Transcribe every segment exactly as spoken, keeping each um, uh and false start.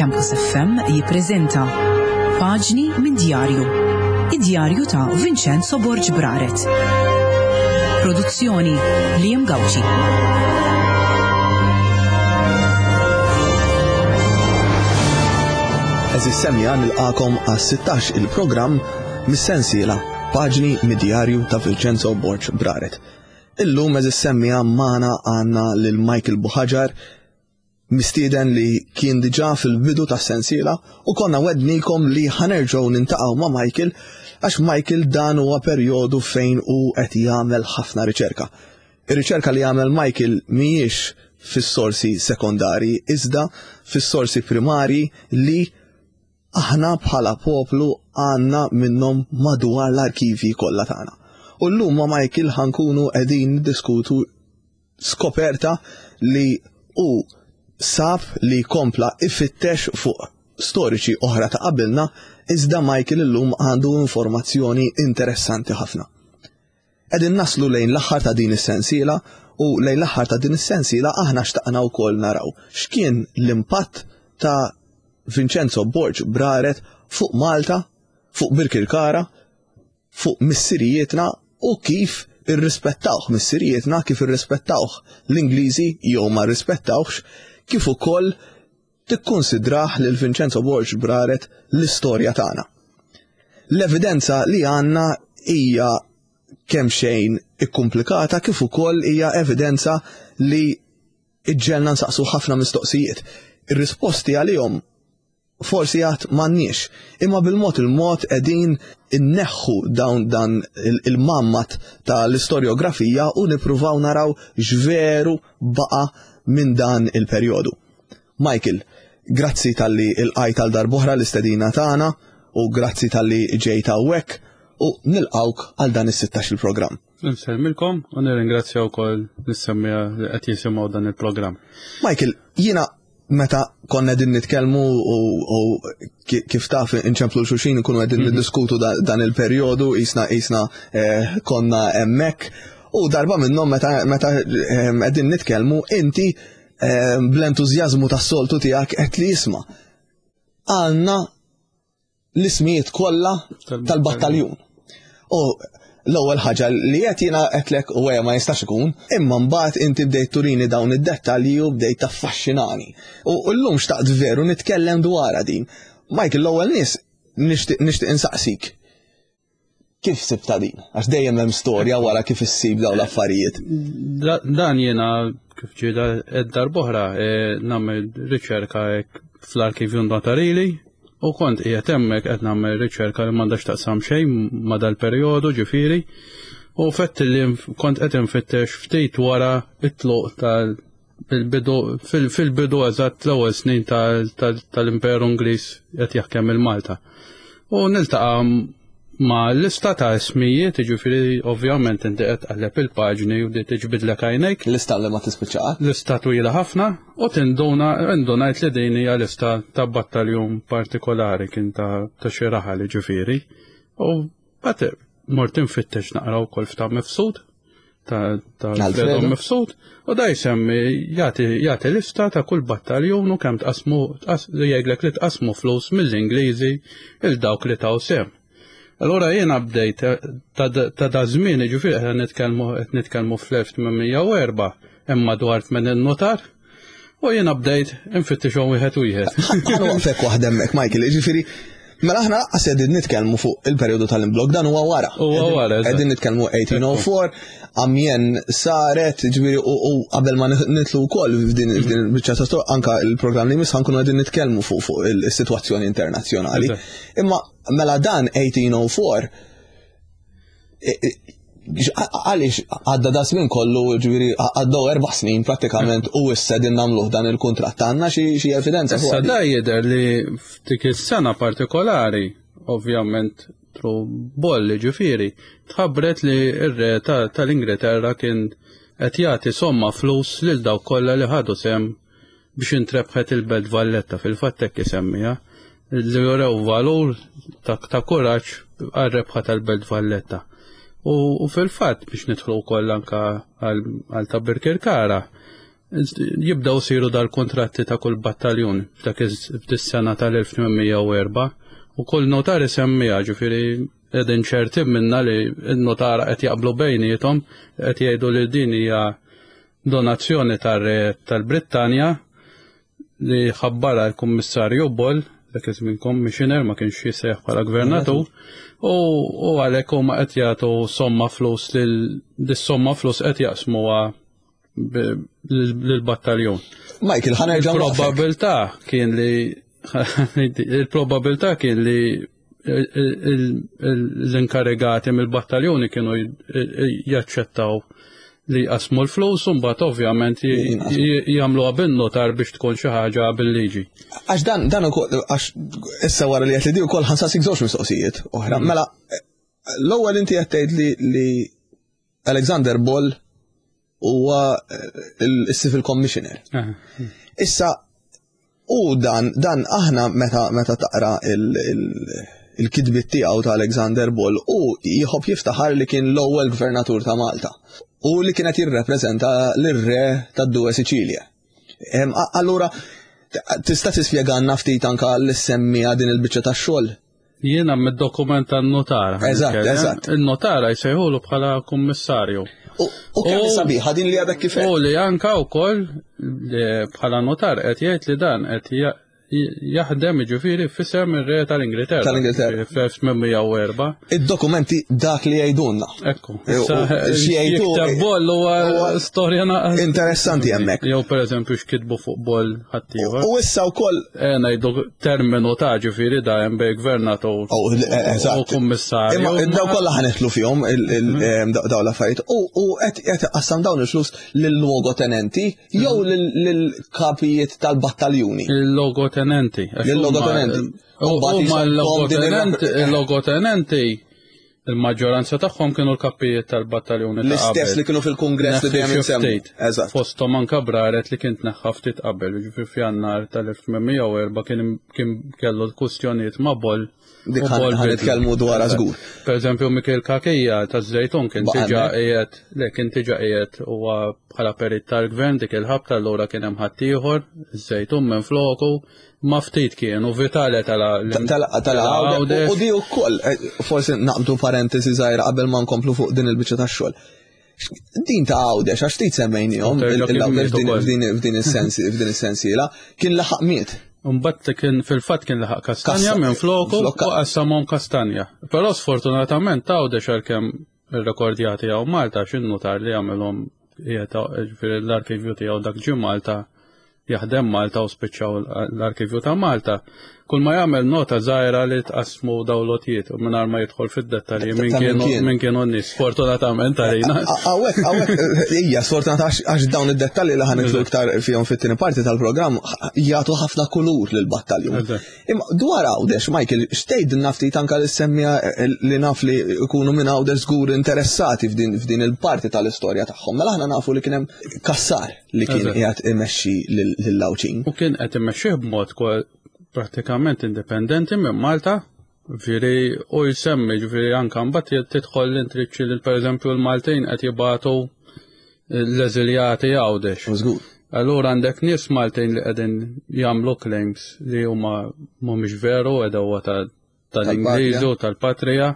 Campus F M jippreżenta Paġni minn Djarju. Id-djarju ta' Vincenzo Borg Braret. Produzzjoni Liam Gauci. Eżis semja nilqakom għas sittax il-programm mis-sensiela Paġni mid-djarju ta' Vincenzo Borg Braret. Illum eżis semmija magħna għandna lil Michael Buhagiar, mistieden li kien diġà fil-bidu tas-sensiela u konna wednikom li ħanerġgħu nintaqgħu ma' Michael għax Michael dan huwa perjodu fejn hu qed jagħmel ħafna riċerka. Ir-riċerka li jagħmel Michael mhijiex fis-sorsi sekondari iżda fis-sorsi primari li aħna bħala poplu għandna minnhom madwar l-arkivi kollha tagħna. U llum ma' Michael ħankunu qegħdin niddiskutu skoperta li hu sab li kompla ifittex fuq storiċi oħra ta' qabilna, iżda Michael illum għandu informazzjoni interessanti ħafna. Qegħdin naslu lejn l-aħħar ta' din is-sensiela u lejn l-aħħar ta' din is-sensiela aħna xtaqna wkoll naraw x'kien l-impatt ta' Vincenzo Borg Braret fuq Malta, fuq Birkirkara, fuq missirijietna u kif irrispettawh missirijietna, kif irrispettawh l-Ingliżi jew ma rrispettawhx, kif ukoll tikkonsidrah lil Vincenzo Borg Braret l-istorja tagħna. L-evidenza li għandna hija kemm xejn ikkumplikata kif ukoll hija evidenza li iġġelna nsaqsu ħafna mistoqsijiet. Ir-risposti għalihom forsi għad m'għandniex, imma bil-mod il-mod qegħdin inneħħu dawn dan il-mammat tal-istorjografija u nippruvaw naraw x'veru baqa' minn dan il-perjodu. Michael, grazzi talli il-qajt għal darb'oħra l-istedina tagħna u grazzi talli ġejt hawnhekk u nilqawk għal dan is-sittax il-programm. Nsellmilkom u nirringrazzja wkoll lis-semmiegħa li qed jisimgħu dan il-programm. Michael, jiena meta konna qegħdin nitkellmu u, u kif taf inċemplu xulxin nkunu qegħdin Mhm. niddiskutu da-, dan il-perjodu, jisna, jisna, eh, konna hemmhekk u darba minnhom meta, meta, eh, qegħdin nitkellmu inti, eh, bl-entużjażmu tas-soltu tiegħek qed li jisma' għandna l-ismijiet kollha Tal-battaljun. tal-battaljun. U l-ewwel ħaġa li qed jiena qedlek u ma jistax ikun, imma mbagħad inti bdejt turini dawn id-dettalji u bdejt taffaxxinani. U llum xtaqt veru nitkellem dwarha din. Michael, l-ewwel nies nixtieq, nixtieq insaqsik. Kif sibta din? Għax dejjem hemm storja wara kif issib dawn l-affarijiet. Da-, dan jiena kif ġieda darb'oħra, eh, nagħmel riċerka hekk fl-arkivju notarili u kont qiegħed hemmhekk qed nagħmel riċerka li m'għandha x'taqsam xejn ma' dal-perjodu ġifieri u fett li kont qed infittex ftit wara it-tluq tal-bidu fil-, fil-bidu eżatt l-ewwel snin tal-, tal-, tal-Imperu Ingliż qed jaħkem il-Malta. U niltaqa' ma' lista ta' ismijiet, ġifieri ovvjament inti qed tqalleb il-paġni u di tiġbidlek għajnejk. Lista li ma tispiċċa. Lista twila ħafna u tinduna, indunajt li din hija lista ta' battaljun partikolari kien ta', ta' xi raħal ġifieri. U bagħad mort infittex naqra wkoll f'ta' Mifsud, ta', ta' Alfredo. Alfredo Mifsud, u da jsemmi jagħti, jagħti lista ta' kull battaljun u kemm tqasmu, tqas-, jgħidlek li tqasmu flus mill-Ingliżi il dawk li taw sehem. Allora jiena bdejt ta', ta' da żmien, ġifieri qed nitkellmu, qed nitkellmu fl-elf tmien mija u erba', hemm madwar tmien notar, u jiena bdejt infittixhom wieħed wieħed. Ħa nwaqfek waħda hemmhekk, Michael, ġifieri, mela aħna lanqas qegħdin nitkellmu fuq il-perjodu tal-imblok, dan huwa wara. Huwa wara, eżatt. Qegħdin nitkellmu eighteen oh four, Amiens saret, ġifieri, u, u qabel ma nitlu wkoll f'din, f'din il-biċċa ta' storja, anka il-programm li jmiss ħankunu qegħdin nitkellmu fuq, fuq il-sitwazzjoni internazzjonali. Eżatt. Imma mela dan eighteen oh four, e, e, għaliex għadda da żmien kollu, ġifieri, għaddew erba' snin prattikament u issa din nagħmluh dan il-kuntratt, għandna xi, xi evidenza fuq Issa għadi? da jidher li f'dik is-sena partikolari, ovvjament tru bolli ġifieri, tħabbret li r-re ta-, tal-Ingilterra kien qed jagħti somma flus lil dawk kollha li ħadu sehem biex intrebħet il-Belt Valletta, fil-fatt hekk isemmiha, li jurew valur ta', ta' kuraġġ għar-rebħa tal-Belt Valletta. U, u fil-fatt biex nidħlu wkoll anka għal, għal ta' Birkirkara, Jibdaw siru dal-kontratti ta' kull battaljun f'dak is-sena tal-elf tmien mija u erbgħa u kull notar isemmiha, ġifieri qegħdin ċerti minna li n-notara qed jaqblu bejniethom, qed jgħidu li din hija donazzjoni tar-re tal-Brittanja li ħabbara l-Kummissarju Boll, dak iż-żmien commissioner, ma kienx jisejjaħ bħala gvernatur, u, u għalhekk huma qed jagħtu somma flus lil dis-somma flus qed jaqsmuha lill-battaljun. Michael, ħa nerġa' nwaqqfek. Il-probabilità kien li il-probabilità kien li l-inkarigati mill-battaljuni kienu jaċċettaw li jqasmu l-flus u mbagħad ovvjament jagħmluha bin-notar biex tkun xi ħaġa bil-liġi. Għax dan, dan ukoll, għax issa wara li qed li di wkoll ħa nsaqsik żewġ mistoqsijiet oħra. Mela, l-ewwel inti qed tgħid li li Alexander Boll huwa il-Civil Commissioner. Issa, u dan, dan aħna meta meta taqra il-kitbiet tiegħu ta' Alexander Boll, u jħobb jiftaħar li kien l-ewwel gvernatur ta' Malta u li kienet jirrepreżenta lir-re tad-Due Sicilie. Allura, tista' tispjegalna ftit anka l-semmija din il-biċċa tax-xogħol? Jiena mid-dokument tan-notara. Eżatt, eżatt. Il-notara jsejħulu bħala kummissarju. U kemm sabiħa din li għadek kif. U li anka wkoll bħala notar qed jgħid li dan qed jaħdem, ġifieri, f'isem ir-re tal-Ingilterra. Tal-Ingilterra. Fl-elf tmien mija u erbgħa. Id-dokumenti dak li jgħidulna. Ekku. Jikteb Boll huwa storja Interessanti hemmhekk. Jew pereżempju x'kitbu fuq Boll ħaddieħor. U issa wkoll Eh ngħidu terminu ta' ġifieri da hemm bej gvernatur u kummissarju. Imma daw kollha ħa nidħlu fihom daw l-affarijiet. U qed qassam dawn il-flus lil-logotenenti jew lill-kapijiet tal-battaljuni. Il-logotenenti. Il-logotenenti. Huma l-logotenenti, il-maġġoranza tagħhom kienu l-kapijiet tal-battaljuni. L-istess li kienu fil-kongress li dejjem insemmu. Eżatt. Fosthom anka Braret li kien tneħħa ftit qabel, ġifieri f'Jannar tal-elf tmien mija u erbgħa kien kellu l-kwistjonijiet ma' Boll. Dik ħa nitkellmu dwar żgur. Per eżempju, Mikel Cachia ta' Żejtun kien diġà qiegħed, le, kien diġà qiegħed huwa bħala perit tal-gvern dik il-ħabta, allura kien hemm ħaddieħor, Żejtun minn floku, ma ftit kienu Vitale tal tal U di wkoll, eh, forsi naqbdu parentesi żgħira qabel ma nkomplu fuq din il-biċċa tax-xogħol. Din ta' Għawdex, għax ftit semmejnihom il-Għawdex f'din is-sensiela, kien laħaq miet. Mbagħad kien fil-fatt kien laħaq Kastanja minn floku u qassamhom Kastanja. Però sfortunatament Għawdex, għalkemm ir-rekordjati għaw Malta, x'in-notar li għamilhom l-arkivju tiegħu dak ġie Malta, jaħdem Malta u spiċċaw l-arkivju ta' Malta. Kull ma jagħmel nota żgħira li tqasmu daw lotijiet u mingħajr ma jidħol fid-dettalji minn kienu min kienu n-nies, sfortunatament għalina. Hawnhekk, hawnhekk, hija sfortunat għax dawn id-dettalji li ħa nidħlu iktar fihom fit-tieni parti tal-programm jagħtu ħafna kulur lill-battaljun. Imma dwar Għawdex, Michael, x'tgħidilna ftit anka li semmija li naf li jkunu minn Għawdex żgur interessati f'din il-parti tal-istorja tagħhom. Mela aħna nafu li kien hemm Kassar li kien qiegħed imexxi lill-Għawdxin. U kien qed imexxih b'mod pratikament indipendenti minn Malta, ġifieri u jsemmi, ġifieri anka mbagħad tidħol l-intriċċi li pereżempju l-Maltin qed jibatu l-eżiljati Għawdex. Żgur. Allura għandek nies Maltin li qegħdin jagħmlu claims li huma mhumiex veru, għedewwa tal-Ingliżu, tal-Patrija,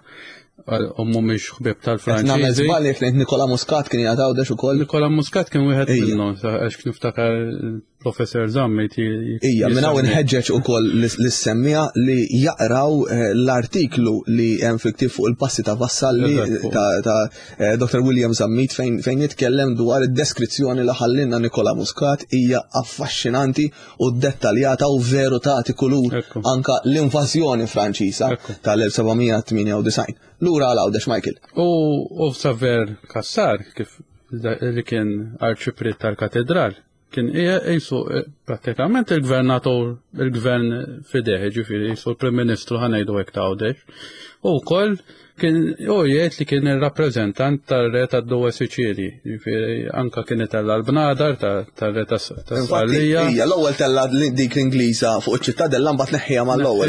u mhumiex ħbieb tal-Franċiżi. Nagħmel żball jekk ngħid Nikola Muscat kien jgħid Għawdex ukoll. Nikola Muscat kien wieħed minnhom, għax niftakar il-Professor Zammit. Ija, minn hawn inħeġġeġ ukoll lis-semmija li jaqraw eh, l-artiklu li hemm fil fuq il-passi ta' Vassalli ta' eh, Doctor William Zammit fejn jitkellem dwar id-deskrizzjoni li ħallinna Nikola Muscat, hija affaxxinanti u dettaljata u veru tagħti kulur anka l-invażjoni Franċiża tal-elf seba' mija tmienja u disgħin. Lura għal Għawdex, Michael. U Saver Kassar, kif li kien arċipriet tal-katedral, kien jisu eh, pratikament il-gvernatur, il-gvern f'idejh, ġifieri jisu l-Prim Ministru, ħa ngħidu hekk, ta' Għawdex. U wkoll kien u jgħid li kien il-rappreżentant tar-re tad-Due Sicili, ġifieri anka kien itella l-bnadar tar-re ta' Sqallija. Ija, l-ewwel tella dik l-Ingliża fuq iċ-ċittadella, mbagħad neħħija mal-ewwel.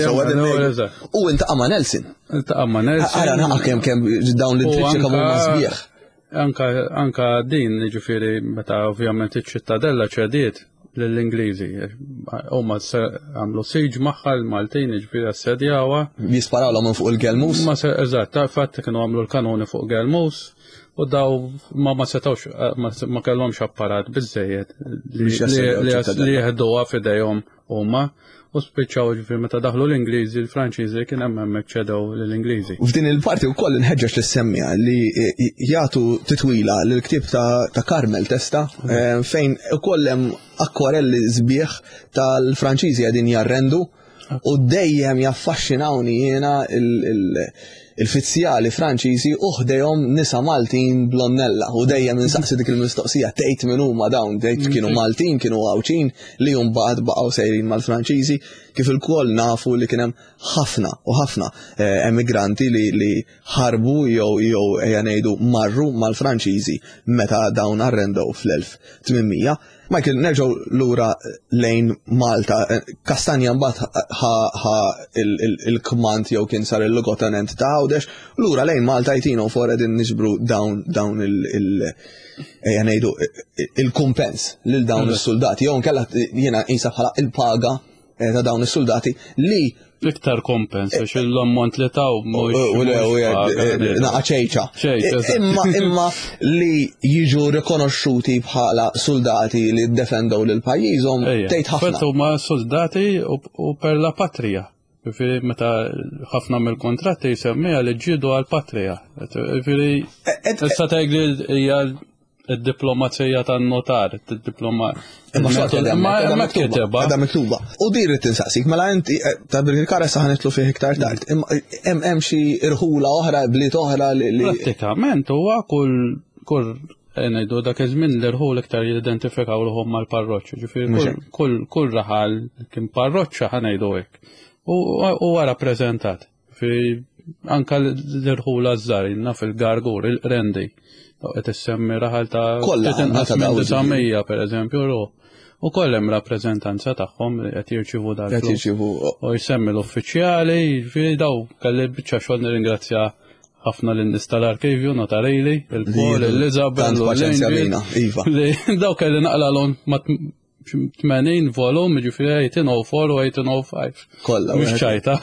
U intaqa' ma' Nelson. Intaqa' ma' Nelson. Ara naqa' kemm kemm dawn l-intriċċi kemm huma sbieħ. Anka, anka din, ġifieri, meta ovvjament iċ-ċittadella ċediet lill-Ingliżi. Huma għamlu siege magħha l-Maltin, ġifieri assedjawha. Jisparawlhom minn fuq il-Gelmus. Ma se, eżatt, ta' fatt kienu għamlu l-kanuni fuq Gelmus u daw ma ma setawx, ma, ma kellhomx apparat biżejjed li Biex jassedjaw li- li ċittadella. li jeħduha f'idejhom huma u spiċċaw ġifieri meta daħlu l-Ingliżi, l-Franċiżi kien hemm hemmhekk ċedew lill-Ingliżi. U f'din il-parti wkoll inħeġġeġ lis-semmiegħa li jagħtu titwila l-ktieb ta', ta' Carmel Testa eh, fejn ukoll hemm akwarelli sbieħ tal-Franċiżi qegħdin jarrendu u dejjem jaffaxxinawni jiena il- il- il-fizzjali Franċiżi u ħdejhom nisa Maltin blonnella u dejjem insaqsi dik il-mistoqsija tgħid min huma dawn, tgħid kienu Maltin, kienu Għawdxin li mbagħad baqgħu sejrin mal-Franċiżi kif ilkoll nafu li kien hemm ħafna u ħafna eh, emigranti li, li ħarbu jew jew ejja ngħidu marru mal-Franċiżi meta dawn arrendew fl-elf tmien mija. Michael, nerġgħu lura lejn Malta. Eh, Kastanja mbagħad ħa ħa il- il- il-kmand jew kien sar il-logotenent ta' Għawdex, lura lejn Malta eighteen oh four qegħdin niġbru dawn dawn il- il- ejja ngħidu il-kumpens lil dawn is-soldati jew nkella jiena qisha bħala il-paga eh, ta' dawn is-soldati li Iktar kompens, għax l-ammont li taw mhux. u le u mhux paga, eh, naqa ċejċa. ċejċa, eżatt. Imma imma li jiġu rikonoxxuti bħala soldati li ddefendew lil pajjiżhom Ejja, tgħid ħafna. Fatt huma soldati u, u per la patria. Ġifieri meta ħafna mill-kontratti jsemmiha li ġiedu għal-patria. Ġifieri Et- issa tgħid li hija id-diplomazija tan-notar, id-diploma. Imma xorta qiegħda Imma hemmhekk, qiegħda hemmhekk miktuba, kitebha. qiegħda miktuba. U din rrid tinsaqsik, mela inti eh, ta' Birkirkara sa ħa nidħlu fih iktar tard. Imma hemm hemm xi irħula oħra, bliet oħra li li- Prattikament huwa kull kull eh, ngħidu dak iż-żmien l-irħul iktar jidentifikaw ruħhom mal-parroċċa. Ġifieri Mhux kull, hekk. kull kull raħal kien parroċċa ħa ngħidu hekk. U huwa rappreżentat. Ġifieri anka l-irħula żgħar naf il-Gargur, il-Qrendi. Qed issemmi raħal ta' Kollha ftit inqas għandna ta' minn dawn disa' mija pereżempju ruħ. U koll hemm rappreżentanza tagħhom li qed jirċievu qed dal-flus. jirċievu U jsemmi l-uffiċjali, ġifieri daw kelli biċċa xogħol nirringrazzja ħafna lin-nies tal-arkivju notarili, il-Paul, Li l-Isabel, tant u paċenzja l-Angel, bina, iva. Li daw kelli naqla l ma tmenin volum, ġifieri eighteen oh four u eighteen oh five. Kollha. Mhux wieħed. ċajta.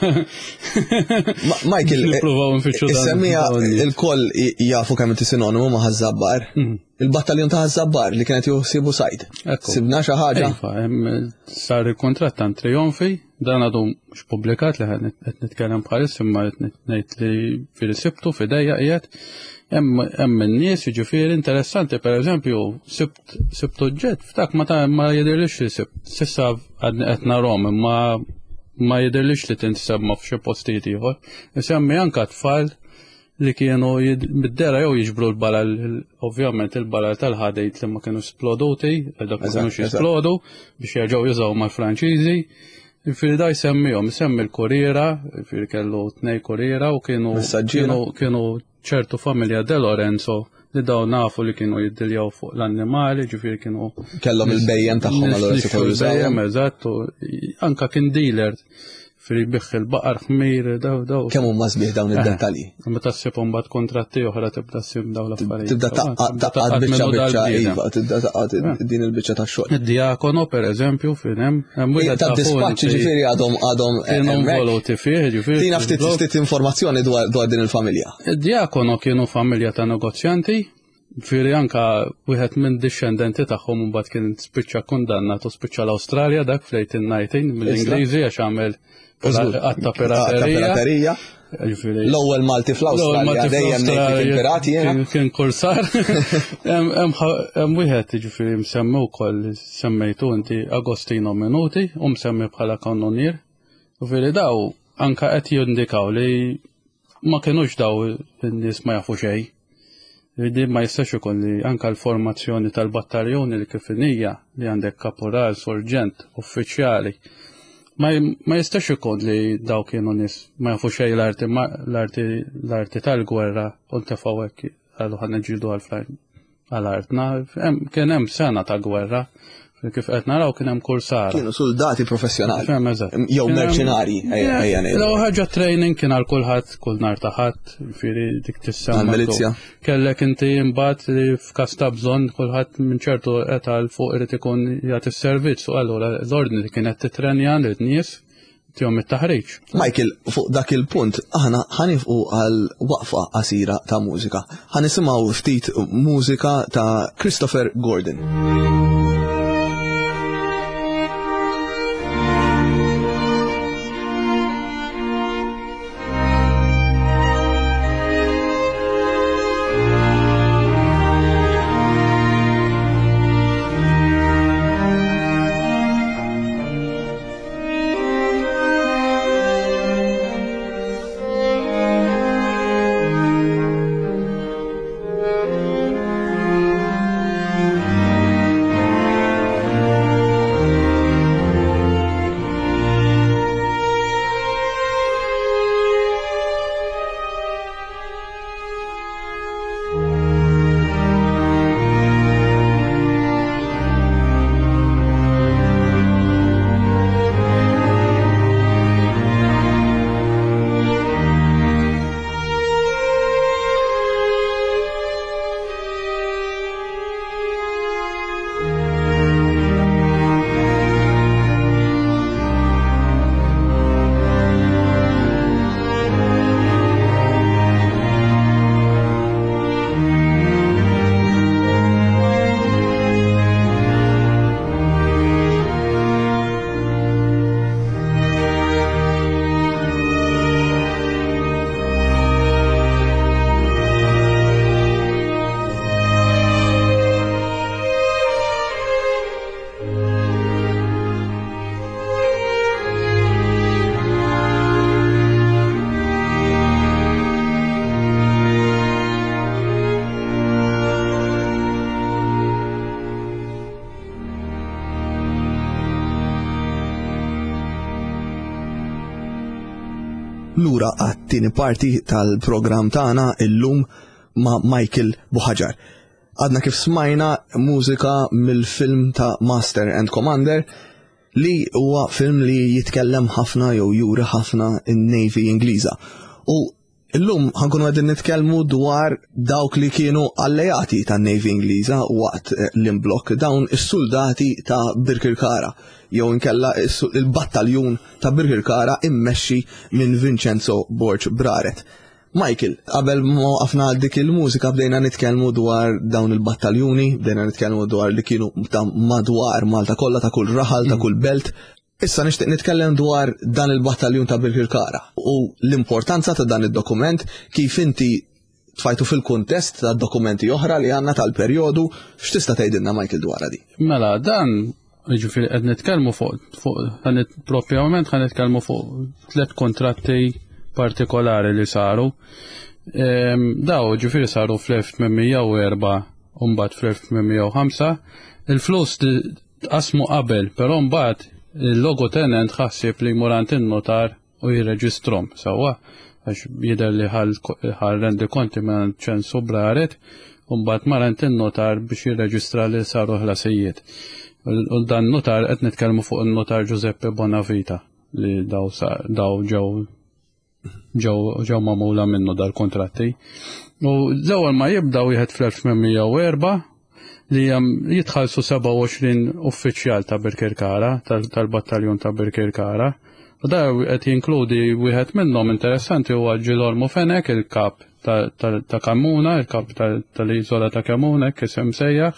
Ma- Michael, eh, Nippruvaw nfittxu dan- Is-semmija dawn nies. il-koll jafu kemm inti sinonimu ma' Ħaż-Żabbar. Mhm. Il-battaljon ta' Ħaż-Żabbar li kienet juħsibu sajd. Ekku. Sibna xi ħaġa. Iva, hemm sar il-kontratt ta' Trionfi, dan għadu mhux publikat li qed nitkellem bħalis imma qed ngħid li fil-sibtu f'idejja qiegħed. Hemm hemm in-nies jiġifieri interessanti, pereżempju, sibt sibt oġġett f'dak ma ta' ma jidhirlix li sibt. S'issa għadni qed narhom imma ma jidhirlix li tinsemma f'xi postijiet ieħor. Isemmi anka tfal li kienu jid- mid-dera jew jiġbru l-balal, ovvjament il-balal tal-ħadejt li ma kienu sploduti, dak ma Eżatt, kienux eżatt. jisplodu biex jerġgħu jużaw mal-Franċiżi. Ġifieri da jsemmihom, isemmi l-kuriera, ġifieri kellu tnej kuriera u kienu Messaġġiera. kienu kienu ċertu familja De Lorenzo li daw nafu li kienu jiddiljaw fuq l-annimali, ġifieri kienu Kellhom il-bejjem tagħhom allura Nis- setgħu il-bejjem, jużawhom. eżatt, u anka kien dealer fil biħ il-baqar ħmir, daw daw. Kemm huma sbieħ dawn id-dettalji. Meta ssib mbagħad kontratti oħra tibda ssib daw l-affarijiet. Tibda taqqad taqqad biċċa biċċa iva, tibda taqqad din il-biċċa tax-xogħol. Id-diakono per eżempju fin hemm hemm wieħed Ta' dispaċċi ġifieri għadhom għadhom kienu hemmhekk. involuti fih, ġifieri. Tina ftit ftit informazzjoni dwar dwar din il-familja. Id-diakono kienu familja ta' negozjanti, ġifieri anka wieħed minn discendenti tagħhom mbagħad kien spiċċa kundannat u spiċċa l-Awstralja dak fl-eighteen nineteen mill-Ingliżi għax għamel Żgur. għatta Ta' piraterija. piraterija. Ġifieri L-ewwel Malti fl-Awstralja dejjem ngħid li kien pirati jiena. Kien- Kien kursar. Hemm hemm ħa- hemm wieħed ġifieri msemmi wkoll semmejtu inti Agostino Minuti u msemmi bħala kannonier. Ġifieri daw anka qed jindikaw li ma kienux daw in-nies ma jafu xejn. Li ma jistax ikun li anka l-formazzjoni tal-battaljoni li kif hija li għandek kaporal, sorġent, uffiċjali. Ma, ma jistax ikun li daw kienu nies ma jafu xejn l-arti ma- l-arti l-arti tal-gwerra u ntefgħu hekk qalu ħa niġġieldu għal għal-artna. Hemm- Kien hemm sena ta' gwerra Kif qed naraw kien hemm kursara. Kienu soldati professjonali. Fem, eżatt. Jew merċenari, ejja ngħidu. L-ewwel ħaġa training kien għal kulħadd kull nhar ta' ħadd, jiġifieri dik tissemma. Għall-milizzja. Kellek inti imbagħad li f'każ ta' bżonn kulħadd minn ċertu età 'l fuq irid ikun jagħti s-servizz u allura l-ordni li kienet titrenja lin-nies tihom it-taħriġ. Michael, fuq dak il-punt, aħna ħanifqu għal waqfa qasira ta' mużika. Ħanisimgħu ftit mużika ta' Christopher Gordon. Lura għat-tieni parti tal-programm tagħna illum ma' Michael Buhagiar. Għadna kif smajna mużika mill-film ta' Master and Commander li huwa film li jitkellem ħafna jew juri ħafna in-Navy Ingliża. U illum ħankunu qegħdin nitkellmu dwar dawk li kienu alleati tan-Navy Ingliża waqt l-imblokk, dawn is-soldati ta' Birkirkara jew inkella il-battaljun ta' Birkirkara immexxi minn Vincenzo Borg Braret. Michael, qabel ma waqafna għal dik il-mużika bdejna nitkellmu dwar dawn il-battaljuni, bdejna nitkellmu dwar li kienu ta' madwar Malta kollha, ta' kull raħal, ta' kull belt. Issa nixtieq nitkellem dwar dan il-battaljun ta' Birkirkara u l-importanza ta' dan id-dokument, kif inti tfajtu fil-kuntest ta' dokumenti oħra li għandna tal-perjodu. X'tista' tgħidilna Michael dwar di? Mela, dan jiġifieri qed nitkellmu fuq fuq propjament ħa nitkellmu fuq tliet kontratti partikolari li saru. Daw ġifieri saru fl-elf tmien u erba' u mbagħad fl-elf tmien u ħamsa. Il-flus tqasmu qabel, però mbagħad il-logo tenent ħassib li jmur għand in-notar u jirreġistrom sewwa, għax jidher li ħal rendi konti minn ċensu Braret, u mbagħad mar għand in-notar biex jirreġistra li saru ħlasijiet. U dan notar qed nitkellmu fuq in-notar Giuseppe Bonavita li daw daw ġew ġew ġew magħmula minnu dal-kontratti. U l-ewwel ma jibda wieħed fl-elf tmien u erba' li jitħallsu sebgħa u għoxrin uffiċjal ta' Birkirkara, tal-battaljun ta' Birkirkara. U da qed jinkludi wieħed minnhom interessanti huwa Ġilormu Fenek, il-kap ta' Kamuna, il-kap tal-iżola ta' Kamuna, kif isem sejjaħ.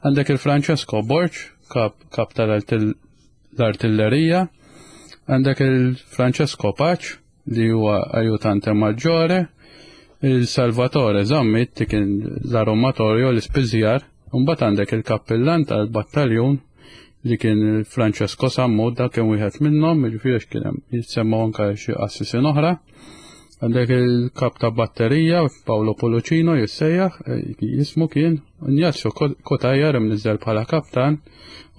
Għandek il-Francesco Borg, kap tal-artillerija. Għandek il-Francesco Pace, li huwa ajutante maggiore, il-Salvatore Zammit, kien l-aromatorju, l-ispiżjar. Mbagħad għandek il-kappillan tal-battaljun li kien Francesco Sammut, dak kien wieħed minnhom, jiġifieri kien hemm jitsemmaw anke xi qassisin oħra. Għandek il-kap ta' batterija Paolo Polocino jissejjaħ, jismu kien Ignazio Kotajar imniżżel bħala kaptan,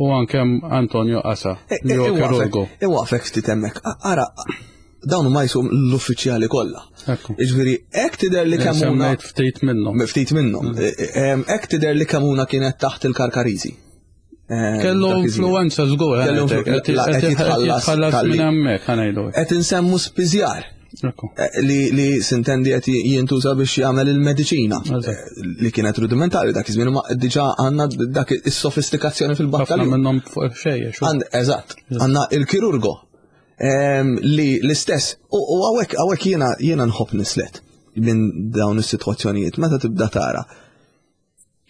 u anke Antonio Asa li huwa kirurgu. Iwaqfek ftit hemmhekk. Ara, dawn huma jisum l-uffiċjali kollha. Jiġifieri hekk tidher li Kemmuna ftit minnhom. Ftit minnhom. Hekk tidher li Kemmuna kienet taħt il-Karkariżi. Eh, Kellu influenza żgur, Kellu qed jitħallas minn hemmhekk ħanejlu. Qed insemmu spiżjar. Eh, li li sintendi qed jintuża biex jagħmel il-mediċina eh, li kienet rudimentali dak iż-żmien ma diġà għandna dak is-sofistikazzjoni fil-battalja. Ħafna minnhom fuq xejn. Eżatt, għandna il-kirurgo ehm, li l-istess u hawnhekk hawnhekk jiena jiena nħobb nislet minn dawn is-sitwazzjonijiet meta tibda tara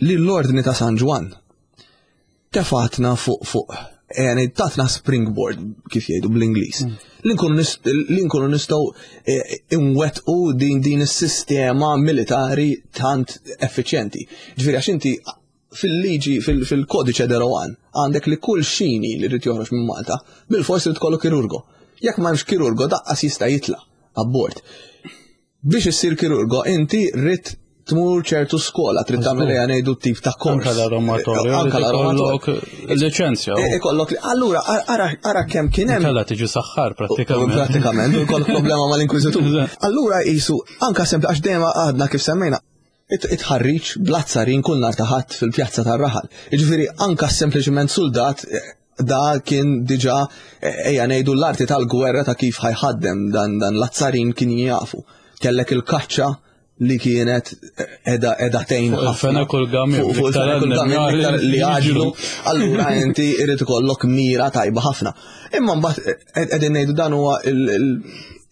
li l-ordni ta' San Ġwann tefatna fuq fuq yani tatna springboard kif jgħidu bl-Ingliż. Mm. Li nkunu nistgħu eh, inwettqu din din is-sistema militari tant effiċjenti. Ġifieri għax inti fil-liġi fil-kodiċe de Rohan għandek li kull xini li rrid joħroġ minn Malta bil-fors li tkollu kirurgo. Jekk m'hemmx kirurgo daqqas jista' jitla' abbord. Biex issir kirurgo inti rrid tmur ċertu skola, trid tagħmel ejja ngħidu tip ta' kors. Anka l-aromatorju. Anka l-aromatorju. Liċenzja. E, ikollok allura ara kemm kien hemm. Kella tiġi saħħar prattikament. Prattikament, u jkollok problema mal-inkwiżitur. Allura qisu anka sempli għax dejjem għadna kif semmejna it-ħarriġ bl-azzarin kull nhar ta' Ħadd fil-pjazza tar-raħal. Jiġifieri anka sempliċement suldat da kien diġà ejja ngħidu l-arti tal-gwerra ta' kif ħajħaddem dan dan l-azzarin kien jafu. Kellek il-kaċċa li kienet edha edha tgħin ħafna kull gamil li għaġlu, allura inti irid ikollok mira tajba ħafna. Imma mbagħad qegħdin ngħidu dan huwa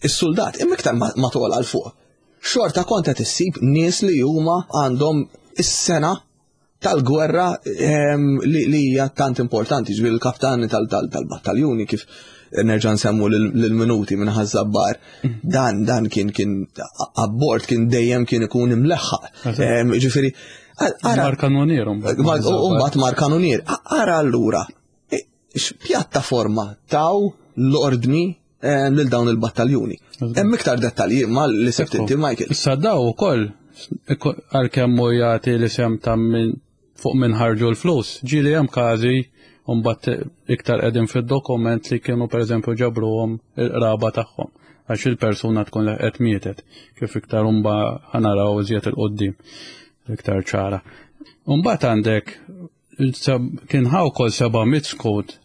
is-soldat, imma iktar ma togħla għal fuq. Xorta kont qed issib nies li huma għandhom is-sena tal-gwerra ehm, li hija tant importanti, ġifieri il-kaptani tal-battaljuni kif nerġa' nsemmu lill-minuti minn Ħaż-Żabbar. Mm. Dan dan kien kien abbord kien dejjem kien ikun imleħħaq. Ehm, ġifieri Mar kanunier mbagħad mar kanunier. Ara allura x'pjattaforma taw l-ordni eh, lil dawn il-battaljuni. Hemm iktar dettalji ma li sebt inti Michael. Issa daw ukoll għalkemm hu jagħti l-isem ta' minn fuq minn ħarġu l-flus. Ġieli hemm każi u mbagħad iktar qegħdin fid-dokument li kienu pereżempju ġabruhom il-qraba tagħhom għax il-persuna tkun leħqet mietet kif iktar umba ħanaraw iżjed il-qoddim iktar ċara. Mbagħad għandek kien ħaw kol seba' mitt skud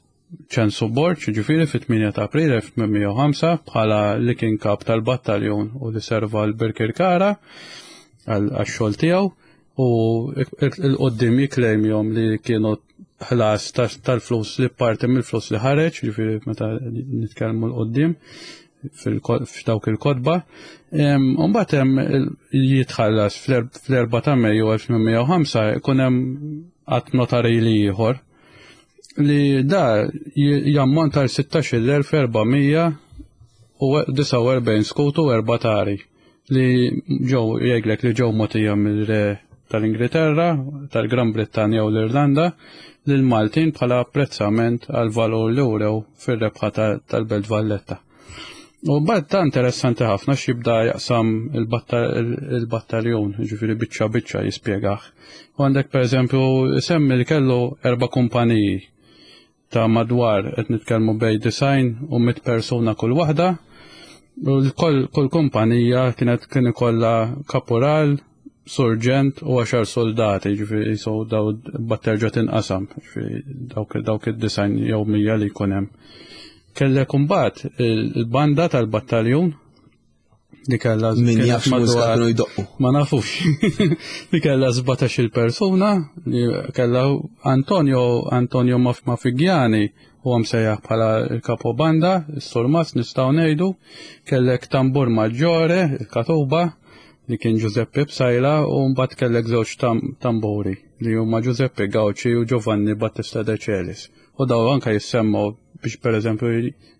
Ċensu Borg, ġifieri fit-tmienja ta' April elf tmien mija u ħamsa bħala li kien kap tal-battaljun u li serva l-Birkirkara għax-xogħol tiegħu u il-qoddim jiklejmjom li kienu ħlas tal-flus li parti mill-flus li ħareġ, ġifieri meta nitkellmu l-qoddim f'dawk il-kotba. Mbagħad hemm jitħallas fl-erba' ta' Mejju elf tmien mija u ħamsa jkun hemm att notarili ieħor li da jammonta għal sittax-il elf erba' mija u disgħa u erbgħin skut u erba' tari li ġew jgħidlek li ġew mogħtija mill-re tal-Ingilterra, tal-Gran Brittanja u l-Irlanda lil Maltin bħala apprezzament għal valur li wrew fir-rebħa tal-Belt Valletta. U mbagħad ta' interessanti ħafna x'jibda jaqsam il-battaljun, ġifieri biċċa biċċa jispjegah. U għandek pereżempju semmi li kellu erba' kumpaniji ta' madwar qed nitkellmu bej design u mit persuna kull waħda. U kull, kull kumpanija kienet kien ikollha kapural, surġent u għaxar soldati, ġifieri jisu daw batterġa tinqasam, ġifieri dawk, dawk id-design jew mija li jkun hemm. Kellek imbagħad il-banda tal-battaljun li kellha Min kienet jaf x'mużika madwar kienu jdoqqu. Ma nafux. Li kellha sbatax-il persuna, li kellha Antonio, Antonio Maf-, Mafigiani u għam sejjaħ bħala il-kapo banda, is-surmas nistgħu ngħidu, kellek tambur maġġore, il-katuba, li kien Giuseppe Psaila, u mbagħad kellek żewġ tam-, tamburi li huma Giuseppe Gauci u Giovanni Battista De Celis. U daw anka jissemmaw biex pereżempju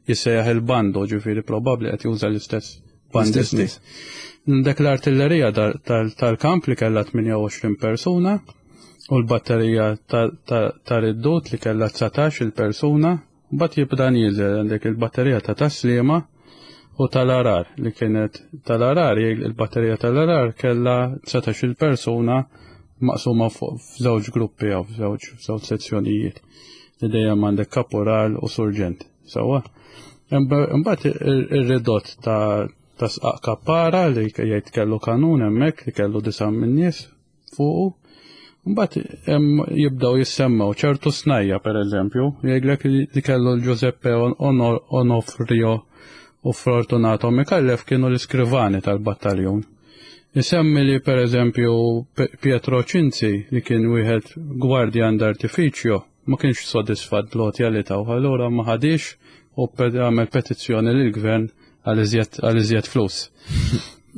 jissejjaħ il-bando, ġifieri probabbli qed juża l-istess bandisti. L-istess nies. Dak l-artillerija tal-, tal-, tal-kamp li kellha tmienja u għoxrin persuna u l-batterija ta-, ta-, tar-riddut li kellha dsatax il-persuna, mbagħad jibda nieżel għandek il-batterija ta' Taslima u tal-Arar li kienet tal-Arar, il-batterija tal-Arar kellha dsatax il-persuna maqsuma fuq f'żewġ gruppi jew f'żewġ, f'żewġ sezzjonijiet li dejjem għandek kaporal u surġent. Sewwa. Imbagħad ir-ridott ta', ta' sqaq kappara li jgħid kellu kanun hemmhekk li kellu disa' min-nies fuqu, Mbagħad hemm jibdew jissemmew ċertu snajja pereżempju, jgħidlek li kellu l-Giuseppe Onofrio u Fortunato Micallef kienu l-iskrivani tal-battaljun. Isemmi li pereżempju Pietro Cinzi li kien wieħed gwardjan d'artificio ma kienx sodisfatt bl-għotja li taw, allura ma ħadix u għamel petizzjoni lill-gvern għal iżjed flus.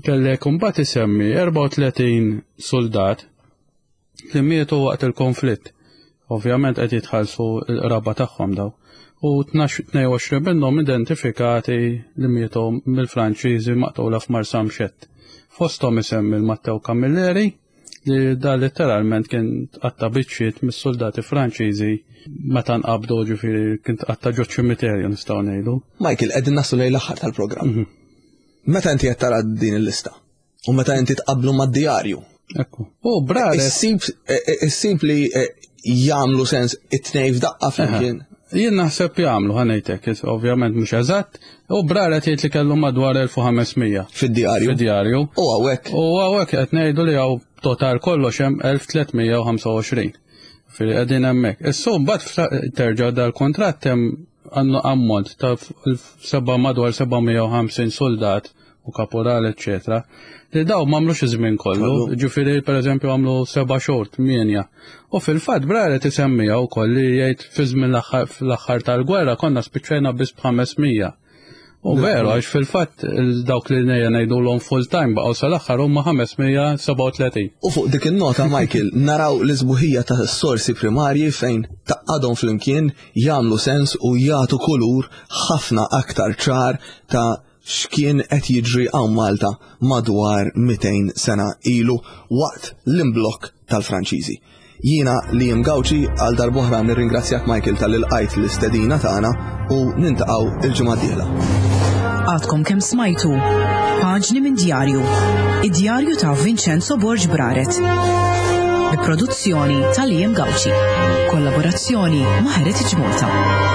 Kellek imbagħad isemmi erbgħa u tletin soldat li mietu waqt il-konflitt. Ovvjament qed jitħallsu l-qraba tagħhom daw. U tnejn u għoxrin minnhom identifikati li mietu mill-Franċiżi maqtula f'Marsamxett. Fosthom isemmi l-Matteo Camilleri, li da letteralment kien tqatta biċċiet mis-soldati Franċiżi meta nqabdu, ġifieri kien tqatta ġo ċimiterju, nistgħu ngħidu. Michael, qegħdin naslu lejn l-aħħar tal-programm. Mhm. Meta inti qed tara din il-lista u meta inti tqablu mad-djarju. Ekku. U Braret. Issib li eh, jagħmlu sens it-tnejn f'daqqa flimkien. Jien naħseb jagħmlu, ħa ngħidlek, ovvjament mhux eżatt, u Braret jgħid li kellu madwar elf u ħames mija. Fid-djarju. Fid-djarju. U hawnhekk. U hawnhekk qed ngħidu li hawn total kollox hemm elf u tliet mija u ħamsa u għoxrin. Fili qegħdin hemmhekk. Issu mbagħad terġa' dal-kontratt, hemm għandu ammont ta' seba madwar seba' mija u ħamsin soldat u kaporal, eccetera. Li daw m'għamlux iż-żmien kollu, ġifieri pereżempju għamlu seba' xhur, tmienja. U fil-fatt Braret isemmija wkoll li jgħid fi żmien l-aħħar tal-gwerra konna spiċċajna biss b'ħames mija. U veru, għax fil-fatt dawk li nejja ngħidulhom full time baqgħu sal-aħħar huma ħames mija u sebgħa u tletin. U fuq dik il-nota, Michael, naraw l-isbuħija ta' sorsi primarji fejn tgħaqqadhom flimkien, jagħmlu sens u jagħtu kulur ħafna aktar ċar ta' x'kien qed jiġri hawn Malta madwar mitejn sena ilu waqt l-imblokk tal-Franċiżi. Jiena li Gawċi għal darb'oħra nirringrazzjak, Michael, talli lqajt l-istedina tagħna u niltaqgħu il-ġimgħa d-dieħla. Għadkom kemm smajtu Paġni minn Djarju, id-djarju ta' Vincenzo Borg Braret. Bi produzzjoni ta' Liam Gauci. Kollaborazzjoni ma' Heritage Malta.